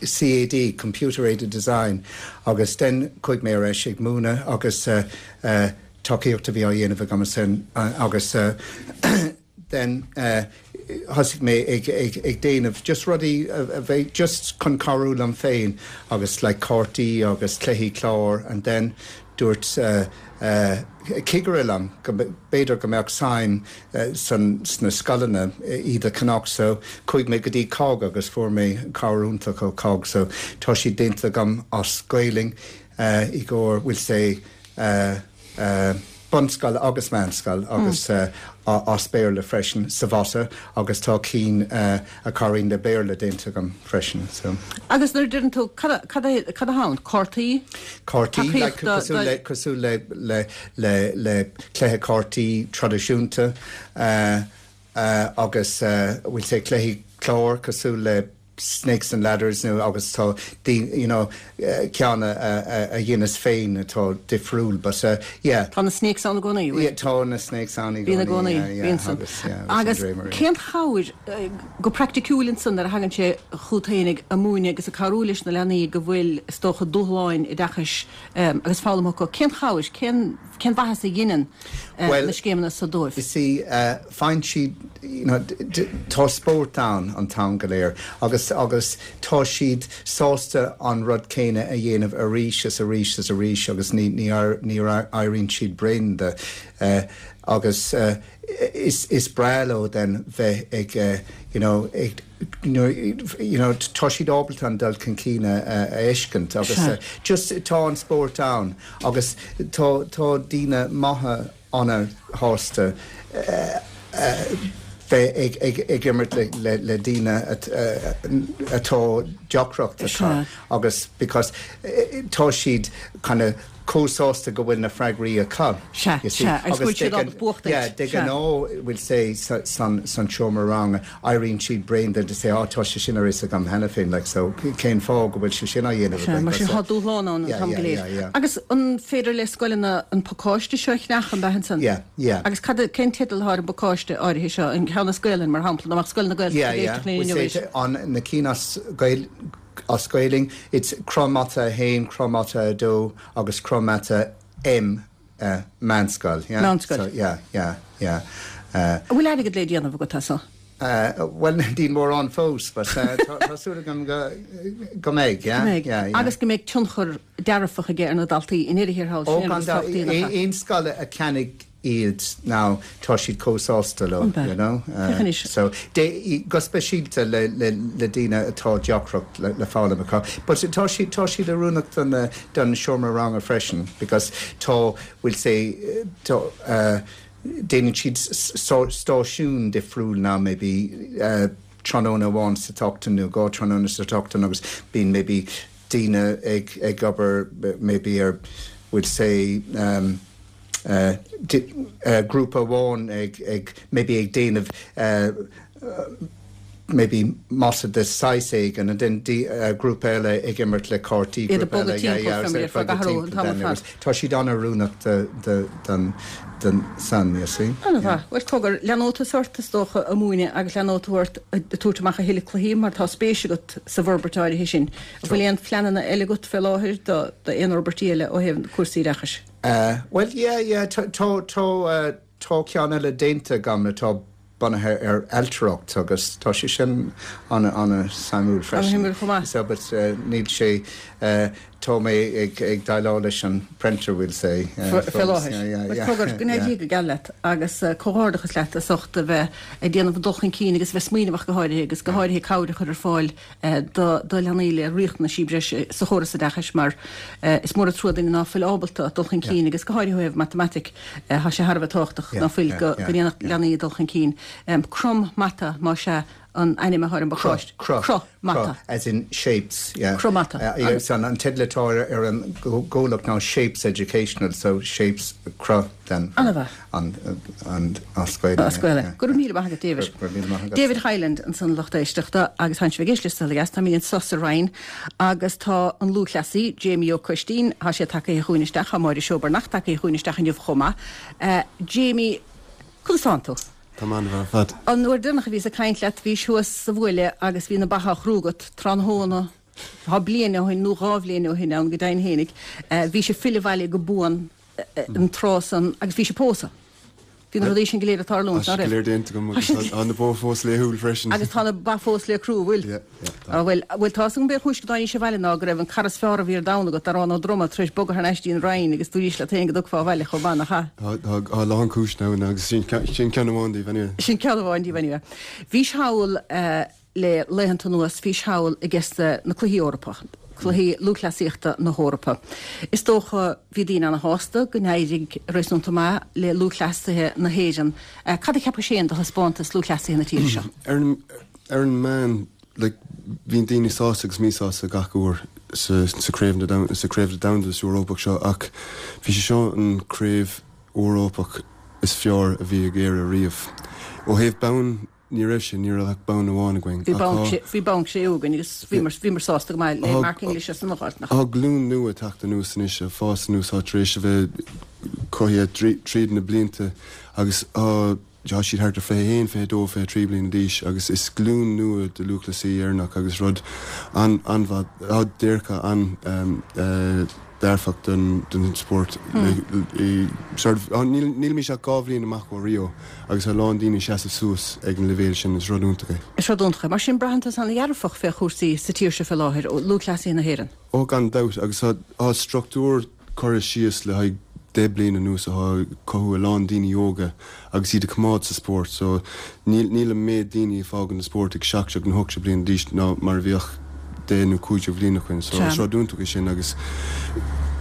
CAD, Computer Aided Design, agus then chuaigh mé ar ais ag múineadh agus tacaíocht a bhí á dhéanamh agam ansin agus then thosaigh mé ag ag ag déanamh just rudaí a bheidh just chun cabhrú liom féin agus like cártaí agus cluichí cláir and then dúirt cigire liom go b'fhéidir go mbeadh suim san sna scoileanna iad a cheannach so chuaigh mé go dtí cogg agus fuair mé cabhair iontach ó cogg so tá siad déanta agam as Gaelainn i gcomhair we'll say bunscoil agus meánscoil agus as Béarla freisin sa mhata agus tá cinn a chabhraíonn le Béarla déanta agam freisin so. Agus nuair a deireann tú, cad cad cad atá ann? Cártaí? Cártaí, like cosúil le cosúil le le le le cluiche cártaí traidisiúnta agus we'll say cluichí cláir cosúil le Snakes and Ladders nó agus tá you know ceann a dheineas féin atá difriúil but yeah. Tá na snakes ann i gcónaí, bhfuil? Yeah, tá na snakes ann i gcónaí. Bíonn i gcónaí, bíonn san. Agus cén chabhair go praiticiúil ansan nuair a thagann sé chugat fhéinig ag múineadh agus ag cabhrú leis na leanaí go bhfuil is dócha dúshláin oideachais agus foghlama acu, cén chabhair, cén cén mhaitheas a dheineann na scéimeanna so dóibh? You see, faigheann siad, you know, tá spórt ann an t-am go léir agus agus tá siad sásta an rud céanna a dhéanamh arís is arís is arís agus ní ní ní éiríonn siad bréan de agus is is breá leo then bheith ag you know ag you know tá siad ábalta an dul chun cinn a fheiscint agus just tá an spórt ann agus tá tá daoine maithe ana-shásta bheith ag ag ag imirt le le le daoine atá deacracht acu agus because tá siad kind of chomh sásta go bhfuil na freagraí acu. Sea, sea, agus go bhfuil siad ábalta buachtaint. Yeah, de ghnáth, we'll say, san seomra ranga, éiríonn siad bréan de, they say, oh, tá sé sin ar fhios agam cheana féin, like, so cén fáth go bhfuil sé sin á dhéanamh againn? Sea, mar sin tá dúshlán ann an t-am go léir. Agus an féidir le scoileanna an pacáiste seo a cheannach, an ea ansan? Yeah, yeah. Agus cad, cén teideal atá ar an bpacáiste áirithe seo, an ceann as Gaelainn, mar shampla, dá mbeadh scoil na Gaeltachta ag éisteacht linn inniu Yeah, yeah, we'll say, an, na cinn as Gael, As Gaelainn, it's Cruth Mata a haon, Cruth Mata a dó agus Cruth Mata M, meánscoil, yeah? Meánscoil. So, yeah, yeah, yeah. An bhfuil airgead le déanamh agat as so? Bhuel, níl mórán fós, but tá súil agam go go mbeidh, yeah, Go mbeidh. yeah, yeah. Agus go mbeidh tionchar dearfach aige ar na daltaí i ndeireadh thiar thall, Ó, sin an gan rud is tábhachtaí, nach ea? Aon scoil a cheannaigh iad now tá siad chomh sásta leo An ea? you know Féach anois. so de go speisialta le le le daoine atá deacracht le le foghlaim acu but tá siad tá siad oiriúnach don don seomra ranga freisin because tá we'll say tá uh, déanann siad stáisiún difriúil now maybe uh, tráthnóna amháin sa tseachtain nó dhá tráthnóna sa tseachtain agus bíonn maybe daoine ag ag obair maybe ar we'll say um, grúpa amháin ag ag maybe ag déanamh maybe mata de saghas éigin and then uh, grúpa eile ag imirt le cártaí. Tá siad an-oiriúnach don den san you see. Well cogar leanfaidh tú ort is dócha ag múineadh agus leanfaidh tú ort ag tabhairt amach a thuilleadh cluichí mar tá spéis agat sa bhforbairt áirithe sin. Bhfuil aon phleananna eile agat fé láthair do aon fhorbairtí eile ó thaobh cúrsaí oideachais. Uh, well yeah yeah tá tá uh, tá ceann eile déanta agam atá bunaithe ar ailtireacht agus tá sé sin an an-suimiúil freisin. So but uh, níl sé uh, tá mé ag ag déileáil leis an printer will say. Fé láthair. Go n-éirí go geal leat agus comhghairdeachas leat as ucht a bheith ag déanamh dul chun cinn agus bheith smaoineamh go háirithe agus go háirithe cabhair a chur ar fáil do leanaí le riachtanaisí breise sa chóras oideachais mar is mór an trua duine ná fuil ábalta dul chun cinn agus go háirithe matamaitic tá sé thar a bheith tábhachtach ná fuil go ndéanfadh leanaí dul chun cinn. Crom mata má sé an ainm atá ar an bpacáiste. Cruth mata. As in shapes, yeah. Cruth mata. Uh, so an teideal atá ar an gcomhlacht ná Shapes Educational, so shapes cruth then. An-mhaith. An an as Gaeilge. As Gaeilge. Go raibh míle maith agat David. David Hyland ansan lucht éisteachta agus tá sibh ag éisteacht le Saol Ó Dheas táimid anseo sa Rinn agus tá an lúthchleasaí Jamie Ó Coistín tá sé tagtha chugainn isteach tá Máire Seobarnach tagtha chugainn isteach inniu chomh maith. Uh, Jamie, conas tánn tú? Tá an-mhaith fad. An uair deireanach a bhíos ag caint leat bhís thuas sa bhuaile agus bhí na ba á chrú agat tráthnóna tá bliain ó shin nó dhá bhliain ó shin ann go deimhin fhéinig. Bhís ag filleadh abhaile go buan an tráth san agus bhís ag pósadh. Bhí na rudaí sin go léir ag tarlúint, ná raibh? Tá go léir déanta agam agus tá na ba fós le siúl freisin. Agus tá na ba fós le crú, bhfuil? Yeah, yeah, tá. Bhuel, bhuel tá an b'é chúis go dtáinís abhaile ná go raibh an carr is fearr a bhí ar domhan agat, Arán Ó Droma, tar éis bogadh thar n-ais dtí an Rinn agus dúraís leat féin go dtiocfá abhaile chomh maith, nach ea? Tá, tá a lán cúiseanna ann agus sin sin ceann amháin díobh anyway. Sin ceann amháin díobh anyway. Bhís thall le laethanta anuas, bhís thall ages na Cluichí Eorpach. Cluichí Lúthchleasaíochta na hEorpa. Is dócha bhí daoine ana-shásta go n-éirigh réasúnta maith le lúthchleasaithe na hÉireann. Cad a cheapais féin de thaispeántas lúthchleasaithe na tíre seo? Ar an ar an meán, like, bhíonn daoine sásta agus míshásta gach uair sa sa craobh na sa craobh domhanda is Eorpach seo ach bhí sé seo an craobh Eorpach is fearr a bhí ag Éire riamh. Ó thaobh bonn Ní raibh sé, ní raibh ach bonn amháin againn. Bhí bonn sé, bhí bonn sé againn agus bhíomar, bhíomar sásta go maith le Mark English as an Gort, nach? Tá glúin nua ag teacht anuas anois, ag fás anuas, atá tar éis a bheith cothaithe tríd na blianta agus tá, tá siad thart ar fiche haon, fiche dó, fiche trí bliana d'aois agus is glúin nua de lúthchleasaí Éireannach agus rud an, an-mhaith, tá dearcadh an, eh, dearfach don don spórt. Sort of nílimid ach dhá bhliain amach ó Rio agus tá a lán daoine ag seasamh suas ag an leibhéal sin, is rud iontach é. Is rud iontach é. Mar sin braitheann tusa an-dhearfach fé chúrsaí sa tír seo fé láthair, ó lúthchleasaithe na hÉireann. Ó gan dabht agus tá struchtúr curtha síos le haghaidh deich bliana anuas atá ag cothú a lán daoine óga agus iad a choimeád sa spórt so níl níl an méid daoine ag fágáil an spórt ag seacht déag nó hocht déag bliana d'aois ná mar a bhíodh deich nó cúig déag bhliain ó shin so is rud iontach é sin agus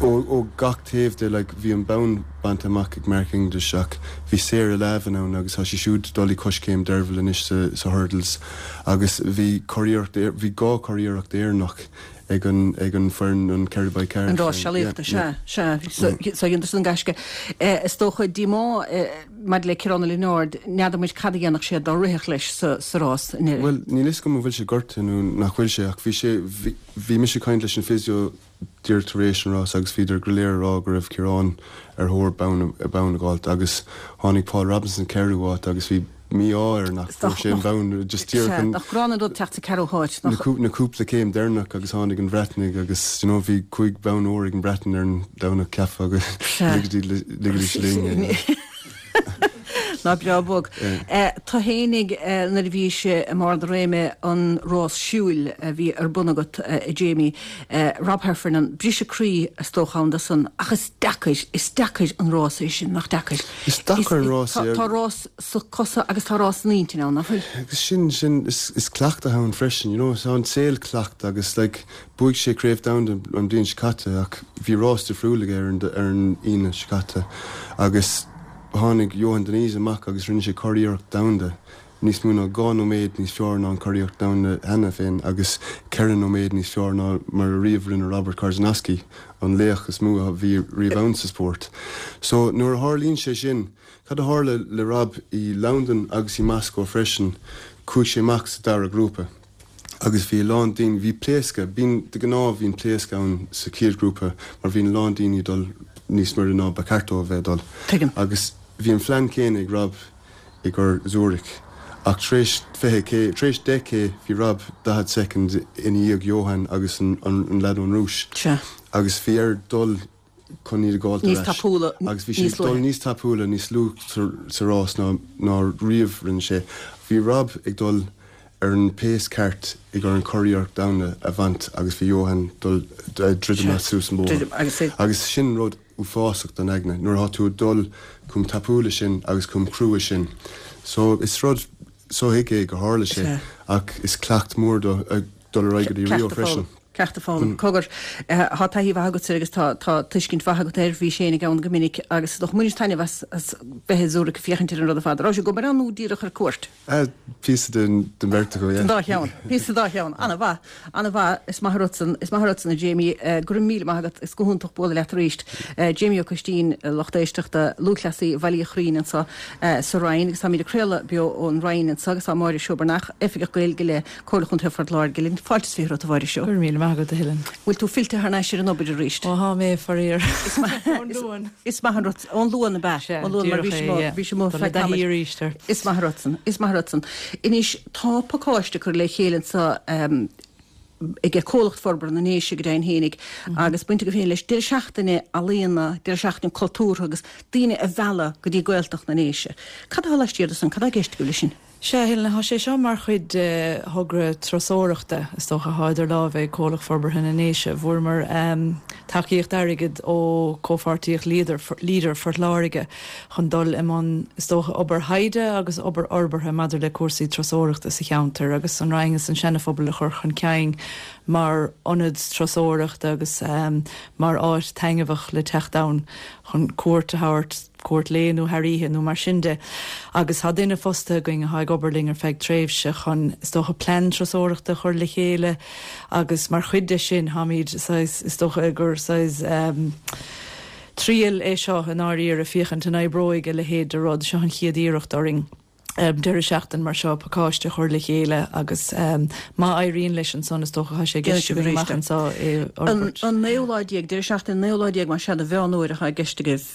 ó ó gach taobh de like bhí an bonn bainte amach ag Mark English ach bhí Sarah Lavin ann agus tá sí siúd dul coiscéim Derville anois sa sa hurdles agus bhí curiarracht bhí dhá churiarracht Éireannach ag an ag an foireann an ceithre by ceathair. An rás sealaíochta, sea, sea. So dheineadar san gaisce. Is dócha díomá maidir le Ciarán Ó Lionáird, n'fheadar muid cad a dhéanfadh sé dá rithfeadh leis sa sa rás inné. Bhuel, níl fhios agam an bhfuil sé gortaithe nó nach bhfuil sé ach bhí sé, bhí, bhí mise ag caint leis an physio díreach tar éis an rás agus bhíodar go léir ag rá go raibh Ciarán ar thóir bonn, bonn a dh'fháilt agus tháinig Paul Robinson ceathrú háit agus bhí mí-ádh air nach bhfuair sé an bonn just díreach an Nach gránna an rud teacht sa ceathrú háit, nach. Na cúpla céim deireanach agus tháinig an Bhreatnaigh agus you know bhí cúig bonn óir ag an Bhreatain ar an Domhnach cheapfá go ligfidís linn é. Ná breá bog. Tú fhéinig nuair a bhís i mbarr do réime an rás siúil a bhí ar bun agat a Jamie, Rob Heffernan, briseadh croí is dócha ann dó san ach is deacair, is deacair an rás é sin, nach deacair? Is deacair an rás é. Tá rás sa cosa agus tá rás san intinn ann, nach bhfuil? Agus sin, sin, is, is cleachtadh ann freisin, you know, tá an saol cleachtadh agus like bhuaigh sé Craobh Domhanda an bhliain seo caite ach bhí rás difriúil aige ar an, ar an Aoine seo caite agus tháinig Yohann Diniz amach agus rinne sé curiarracht domhanda, níos mó ná dhá nóiméad níos fearr ná an curiarracht domhanda cheana féin agus ceithre nóiméad níos fearr ná mar a riamh rinne Robert Korzenowski, an laoch is mó a bhí riamh ann sa spórt. So nuair a tharlaíonn sé sin, cad a tharla le Rob i Londain agus i Moscow freisin, Chuaigh sé amach sa dara grúpa agus bhí a lán daoine, bhí pléascadh, bíonn, de ghnáth bhíonn pléascadh ann sa chéad ghrúpa mar bhíonn a lán daoine ag dul níos mire ná ba cheart dóibh a bheith ag dul. Tuigim. Agus bhí an phlean céanna ag Rob i gcomhair Zurich ach tar éis fiche K, tar éis deich K bhí Rob daichead soicind ina dhiaidh Johan agus an, an, an leaid ón Rúis. Sea. Agus bhí air dul chun iad a ghabháilt ar Níos ais. tapúla, Agus bhí sé níos ag dul luaithe. níos tapúla, níos luaithe sa, sa rás ná, ná riamh rinne sé. Bhí Rob ag dul ar an pace ceart i gcomhair an curiarracht domhanda a bhaint agus bhí Johan dul druidim Sea. suas an bóthar. Druidim, agus é- Agus sin rud uafásach don aigne, nuair atá tú ag dul chomh tapúla sin agus chomh crua sin. So is rud sothuigthe é gur tharla sé, Sea. ach is cleacht mór do ag dul ar aghaidh go dtí Rio Cleacht a freisin. foghlaim. Ceacht a foghlaim. Cogar, tá taithí mhaith agat air agus tá tá tuiscint mhaith agat air, bhí Shane ann go minic agus is dócha bhain taitneamh as as bheith i Zurich ag féachaint ar an rud ar fad. Raibh sé ag obair ann nó díreach ar cuairt? Píosa den den bheirt acu, yeah. Den dá cheann. Píosa den dá cheann. An-mhaith. An-mhaith. Is maith an rud san, is maith an rud san a Jamie. Go raibh míle maith agat. Is go hiontach bualadh leat arís. Jamie Ó Coistín, lucht éisteachta, lúthchleasaí Bhaile Uí Churraoin anseo sa Rinn agus táimid ag craoladh beo ón Rinn anseo agus tá Máire Seó Breathnach, Oifigeach Gaeilge le Comhairle Chontae Phort Láirge linn. Fáilte is fiche romhat a Mháire Seó. Go raibh míle maith agat a Helen. Bhfuil tú fillte thar n-ais ar an obair arís? Ó thá mé faraor. Ón Luan. Is maith an rud ón Luan ab ea? Ón Luan mar bhí sé amuigh- bhí sé amuigh feadh tamaill. arís ar. Is maith an rud san, is maith an rud san. Anois tá pacáiste curtha le chéile anseo um, ag Comhlacht Forbartha na nDéise go deimhin fhéinig agus baint acu féin leis deireadh seachtaine ealaíona, deireadh seachtaine cultúrtha agus daoine a mhealladh go dtí Gaeltacht na nDéise. Cad atá laistiar de san, cad atá i gceist agaibh leis sin? Sea, Helen, tá sé seo mar chuid de thogra turasóireachta, is dócha, atá idir lámha ag Comhlacht Forbartha na nDéise. Bhfuaireamar tacaíocht airgid ó Comhpháirtíocht Leader, Leader Phort Láirge chun dul i mbun, is dócha, obair thaighde agus obair fhorbartha maidir le cúrsaí turasóireachta sa cheantar agus an Rinn is an Seana-Phobal a chur chun cinn mar ionad turasóireachta agus mar áit taitneamhach le teacht ann chun cuairt a thabhairt cuairt lae nó thar oíche nó mar sin de. Agus tá duine fostaithe againn atá ag obair linn ar feadh tréimhse chun is dócha plean turasóireachta a chur le chéile agus mar chuid de sin táimid saghas is dócha gur saghas um, triail é seo i ndáiríre féachaint an oibreoidh a leithéid de rud seo an chéad iarracht orainn. Um, deireadh seachtain mar seo pacáiste a chur le chéile agus um, má éiríonn leis ansan is dócha tá sé i gceist againn amach anseo é An fhorbairt. an naoú lá déag, deireadh seachtaine an naoú lá déag mar sea de Mheán Fhómhair atá i gceist agaibh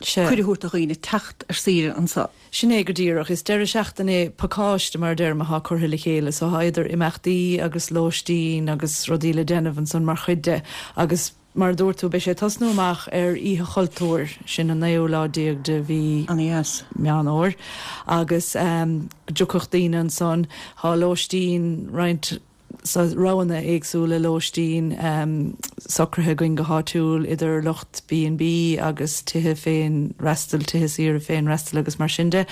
Sea. cuireadh a thabhairt do dhaoine teacht ar saoire anseo. Sin é go díreach, is deireadh seachtaine pacáiste mar a deirim atá curtha le chéile, so tá idir imeachtaí agus lóistín agus rudaí le déanamh ansan mar chuid de agus mar a dúirt tú beidh sé ag tosnú amach ar Oíche Chultúir, sin an naoú lá déag de mhí Meán Fhómhair agus um, go dtiocfadh daoine ansan, tá lóistín roinnt so roghanna éagsúla lóistín um, socraithe againn go háitiúil idir lucht B and B agus tithe féinfhreastail, tithe saoire féinfhreastail agus mar sin de.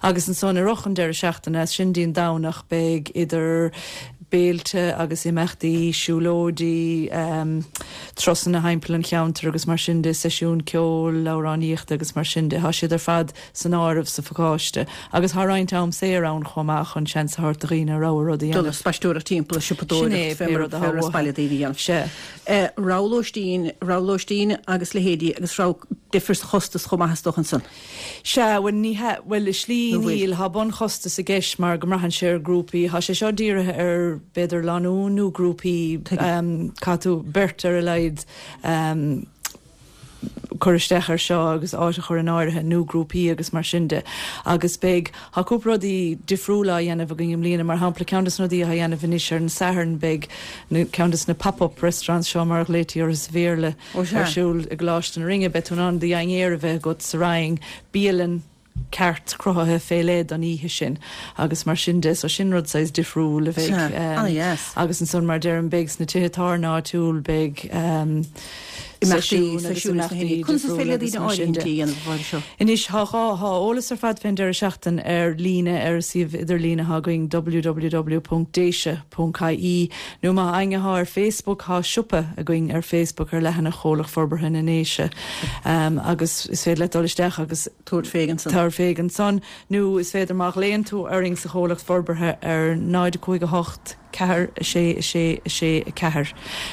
Agus ansan i rith an deireadh seachtaine, as sin dtí an Domhnach beidh idir béilte agus imeachtaí, siúlóidí, um, turasanna thimpeall an cheantair agus mar sin de, seisiún ceoil, amhránaíochta agus mar sin de. Tá siad ar fad san áireamh sa phacáiste. Agus tá roinnt am saor ann chomh maith chun seans a thabhairt do dhaoine rogha rud a Dul dhéanamh. ag spaisteoireacht timpeall, Sin é, siopadóireacht, pé rud atá uathu. baile daoine a dhéanamh. Sea. Eh, rogha lóistín, rogha lóistín agus leithéidí agus rogha difear sa chostas chomh maith is dócha ansan. Sea, bhuel ní hea, bhuel i slí Nó bhfuil? níl, tá bunchostas i gceist mar go mbraitheann sé ar grúpaí, tá sé seo dírithe ar b'fhéidir lánúin nó grúpaí, um, caithfidh tú beirt ar a laghad um, cur isteach ar seo agus áit a chur in áirithe nó grúpaí agus mar sin de. Agus beidh tá cúpla rudaí difriúla á dhéanamh againn i mbliana, mar shampla ceann de na rudaí atá á dhéanamh anois ar an Satharn beidh na ceann de na pop-up restaurants seo mar a ghlaoití orthu sa Bhéarla Ó, sea. ar siúl i gColáiste na Rinne, beidh tú in ann do dhinnéar a bheith agat sa Rinn, bialann ceart cruthaithe fé leith don oíche sin agus mar sin de, so sin rud saghas difriúil a bheidh Sea, um, an-dheas. agus ansan mar deirim beidh sna tithe tábhairne áitiúil beidh um, Imeachtaí, seisiúin agus seisiúin sna imeachtaí hIní. Conas is difriúla féidir le agus daoine mar sin de. áirithintí a dhéanamh mar seo? Anois tá dhá tá eolas ar fad fén deireadh seachtain ar líne ar suíomh idirlíne atá againn www.déise.ie nó má éinne atá ar Facebook tá siopa againn ar Facebook ar leathanach Chomhlacht Forbartha na nDéise um, agus is féidir leat dul isteach agus tabhairt fé ansan. Tabhair fé ansan nó is féidir má ghlaonn tú orainn sa Chomhlacht Forbartha ar náid cúig a hocht ceathair a sé a sé a sé a ceathair.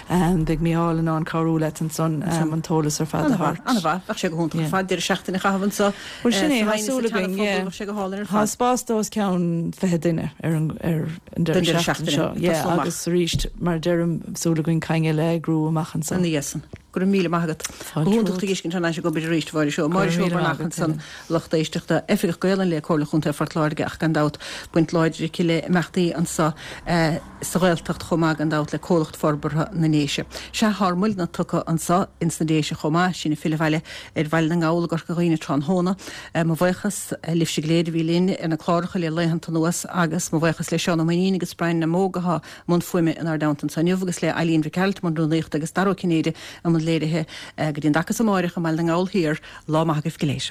Beidh Mícheál in ann cabhrú leat ansan an t-eolas ar fad a thabhairt. An-mhaith, bheadh sé go hiontach ar fad deireadh seachtaine a chaitheamh anseo. Bhuel sin é, tá súil againn, yeah. Bheadh sé go hálainn ar Tá fad. spás do os cionn fiche duine ar an ar an Don deireadh deireadh seachtaine seachtaine, seo. Yeah, tosnú amach. agus arís mar a deirim súil againn caingeal a eagrú amach anso. Ina dhiaidh san. Go raibh míle maith agat. Fáilte Go hiontach romhat. tú a fheiscint thar n-ais ag obair arís, a Mháire Seó. Go Máire raibh Seó míle maith Breathnach agat, ansan Helen. lucht éisteachta Oifigeach Gaelainne le Comhairle Chontae Phort Láirge ach gan dabht baint láidir aici le imeachtaí anseo eh, sa Ghaeltacht chomh maith gan dabht le Comhlacht Forbartha na nDéise. Sea tá muidne tugtha anseo ins na Déise chomh maith sinn ag filleadh abhaile ar Bhaile na nGall i gCorca Dhuibhne tráthnóna. Eh, mo bhuíochas eh, libhse go léir a bhí linn ar na cláracha le laethanta anuas agus mo bhuíochas le Seán Ó Mainnín agus Brian na Móg atá i mbun fuaime inár dteannta anseo inniu agus le Eileen Mhic Gearailt i mbun rúnaíochta agus Dara Ó Cinnéide i mbun léirithe eh, go dtí an dtaca amárach i mBaile na nGall Thiar lá maith agaibh go léir.